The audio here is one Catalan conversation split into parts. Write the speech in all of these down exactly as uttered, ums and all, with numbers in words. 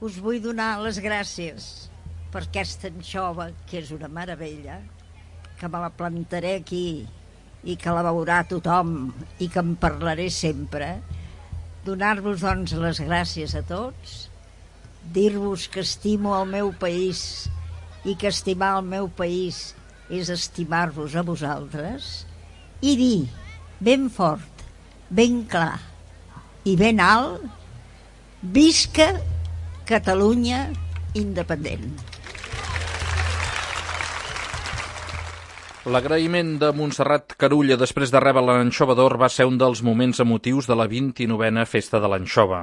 us vull donar les gràcies per aquesta anxova, que és una meravella, que me la plantaré aquí i que la veurà tothom i que en parlaré sempre. Donar-vos, doncs, les gràcies a tots, dir-vos que estimo el meu país i que estimar el meu país és estimar-vos a vosaltres, i dir ben fort, ben clar i ben alt: visca Catalunya independent. L'agraïment de Montserrat Carulla després de rebre l'Anxova d'Or va ser un dels moments emotius de la vint-i-novena Festa de l'Anxova.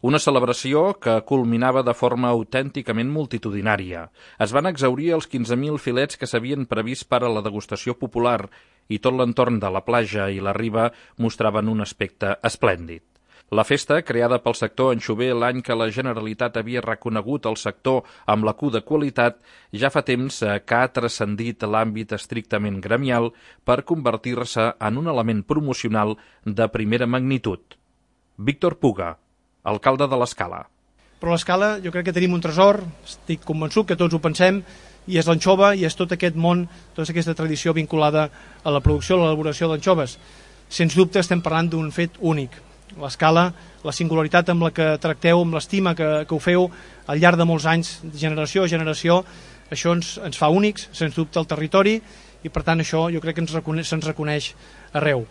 Una celebració que culminava de forma autènticament multitudinària. Es van exhaurir els quinze mil filets que s'havien previst per a la degustació popular i tot l'entorn de la platja i la riba mostraven un aspecte esplèndid. La festa, creada pel sector anxover l'any que la Generalitat havia reconegut el sector amb la Q de qualitat, ja fa temps que ha transcendit l'àmbit estrictament gremial per convertir-se en un element promocional de primera magnitud. Víctor Puga, alcalde de l'Escala. Però a l'Escala jo crec que tenim un tresor, estic convençut que tots ho pensem, i és l'anxova i és tot aquest món, tota aquesta tradició vinculada a la producció, a l'elaboració d'anxoves. Sens dubte estem parlant d'un fet únic. L'Escala, la singularitat amb la que tracteu, amb l'estima que, que ho feu al llarg de molts anys, de generació a generació, això ens, ens fa únics, sens dubte, al territori, i per tant això jo crec que ens reconeix, se'ns reconeix arreu.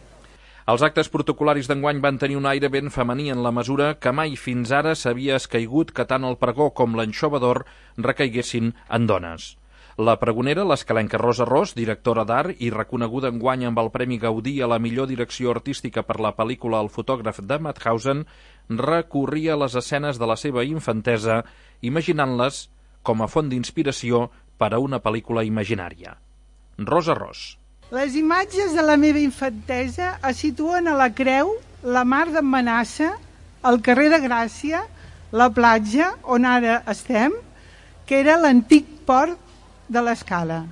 Els actes protocolaris d'enguany van tenir un aire ben femení en la mesura que mai fins ara s'havia escaigut que tant el pregó com l'Anxova d'Or recaiguessin en dones. La pregonera, l'escalenca Rosa Ros, directora d'art i reconeguda enguany amb el Premi Gaudí a la millor direcció artística per la pel·lícula El fotògraf de Mauthausen, recorria les escenes de la seva infantesa, imaginant-les com a font d'inspiració per a una pel·lícula imaginària. Rosa Ros. Les imatges de la meva infantesa es situen a la Creu, la Mar d'en Manassa, el carrer de Gràcia, la platja, on ara estem, que era l'antic port de l'Escala.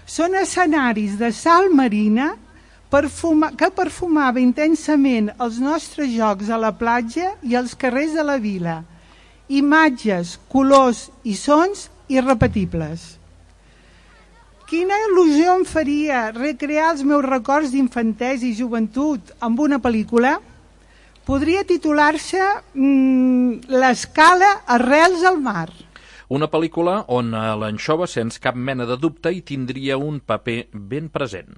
Són escenaris de sal marina perfuma, que perfumava intensament els nostres jocs a la platja i als carrers de la vila. Imatges, colors i sons irrepetibles. Quina il·lusió em faria recrear els meus records d'infantesa i joventut amb una pel·lícula? Podria titular-se mmm, L'Escala arrels al mar. Una pel·lícula on l'anxova, sens cap mena de dubte, hi tindria un paper ben present.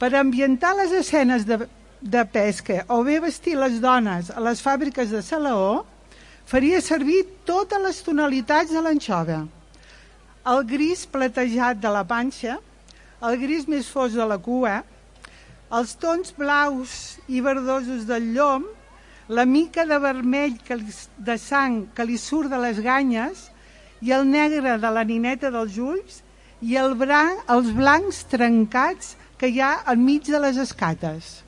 Per ambientar les escenes de, de pesca o bé vestir les dones a les fàbriques de Salaó, faria servir totes les tonalitats de l'anxova. El gris platejat de la panxa, el gris més fos de la cua, els tons blaus i verdosos del llom, la mica de vermell que li, de sang que li surt de les ganyes i el negre de la nineta dels ulls i el blanc, els blancs trencats que hi ha enmig de les escates.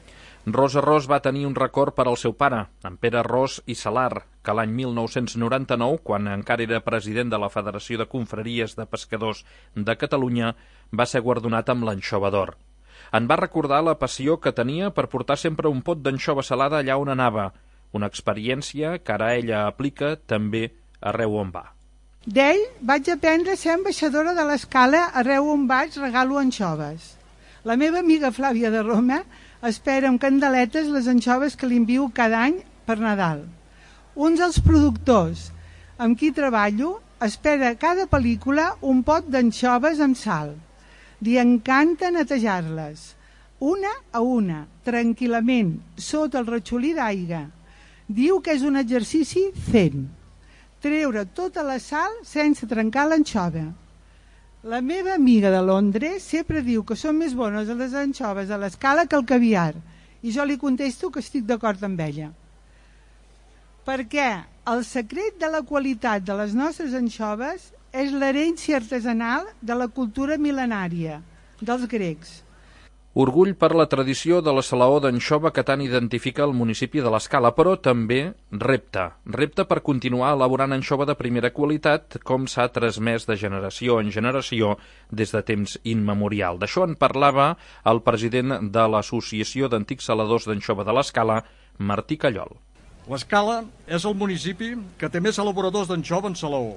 Rosa Ros va tenir un record per al seu pare, en Pere Ros i Salar, que l'any mil nou-cents noranta-nou, quan encara era president de la Federació de Confraries de Pescadors de Catalunya, va ser guardonat amb l'Anxova d'Or. En va recordar la passió que tenia per portar sempre un pot d'anxova salada allà on anava, una experiència que ara ella aplica també arreu on va. D'ell vaig aprendre a ser ambaixadora de l'Escala, arreu on vaig regalo anxoves. La meva amiga Flàvia de Roma espera amb candeletes les anxoves que li envio cada any per Nadal. Un dels productors amb qui treballo espera a cada pel·lícula un pot d'anxoves amb sal. Li encanta netejar-les, una a una, tranquil·lament, sota el ratxolí d'aigua. Diu que és un exercici zen. Treure tota la sal sense trencar l'anxova. La meva amiga de Londres sempre diu que són més bones les anxoves a l'Escala que el caviar, i jo li contesto que estic d'acord amb ella. Perquè el secret de la qualitat de les nostres anxoves és l'herència artesanal de la cultura mil·lenària dels grecs. Orgull per la tradició de la salaó d'anxova que tant identifica el municipi de l'Escala, però també repte. Repte per continuar elaborant anxova de primera qualitat, com s'ha transmès de generació en generació des de temps immemorial. D'això en parlava el president de l'Associació d'Antics Saladors d'Anxova de l'Escala, Martí Callol. L'Escala és el municipi que té més elaboradors d'anxova en Salaó.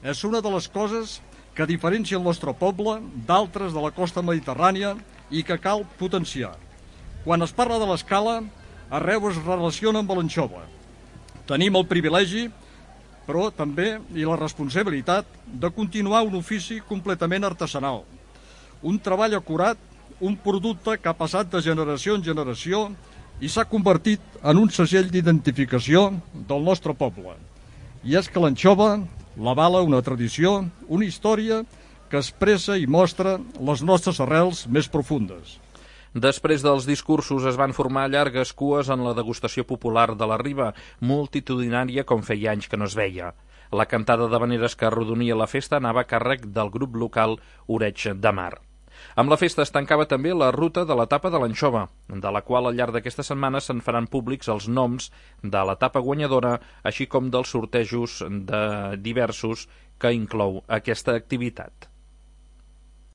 És una de les coses que diferencia el nostre poble d'altres de la costa mediterrània i que cal potenciar. Quan es parla de l'Escala, arreu es relaciona amb l'anxova. Tenim el privilegi, però també i la responsabilitat de continuar un ofici completament artesanal. Un treball acurat, un producte que ha passat de generació en generació i s'ha convertit en un segell d'identificació del nostre poble. I és que l'anxova l'avala una tradició, una història que expressa i mostra les nostres arrels més profundes. Després dels discursos es van formar llargues cues en la degustació popular de la Riba, multitudinària com feia anys que no es veia. La cantada d'havaneres que arrodonia la festa anava a càrrec del grup local Oreig de Mar. Amb la festa es tancava també la ruta de l'etapa de l'anxova, de la qual al llarg d'aquesta setmana se'n faran públics els noms de l'etapa guanyadora, així com dels sortejos de diversos que inclou aquesta activitat.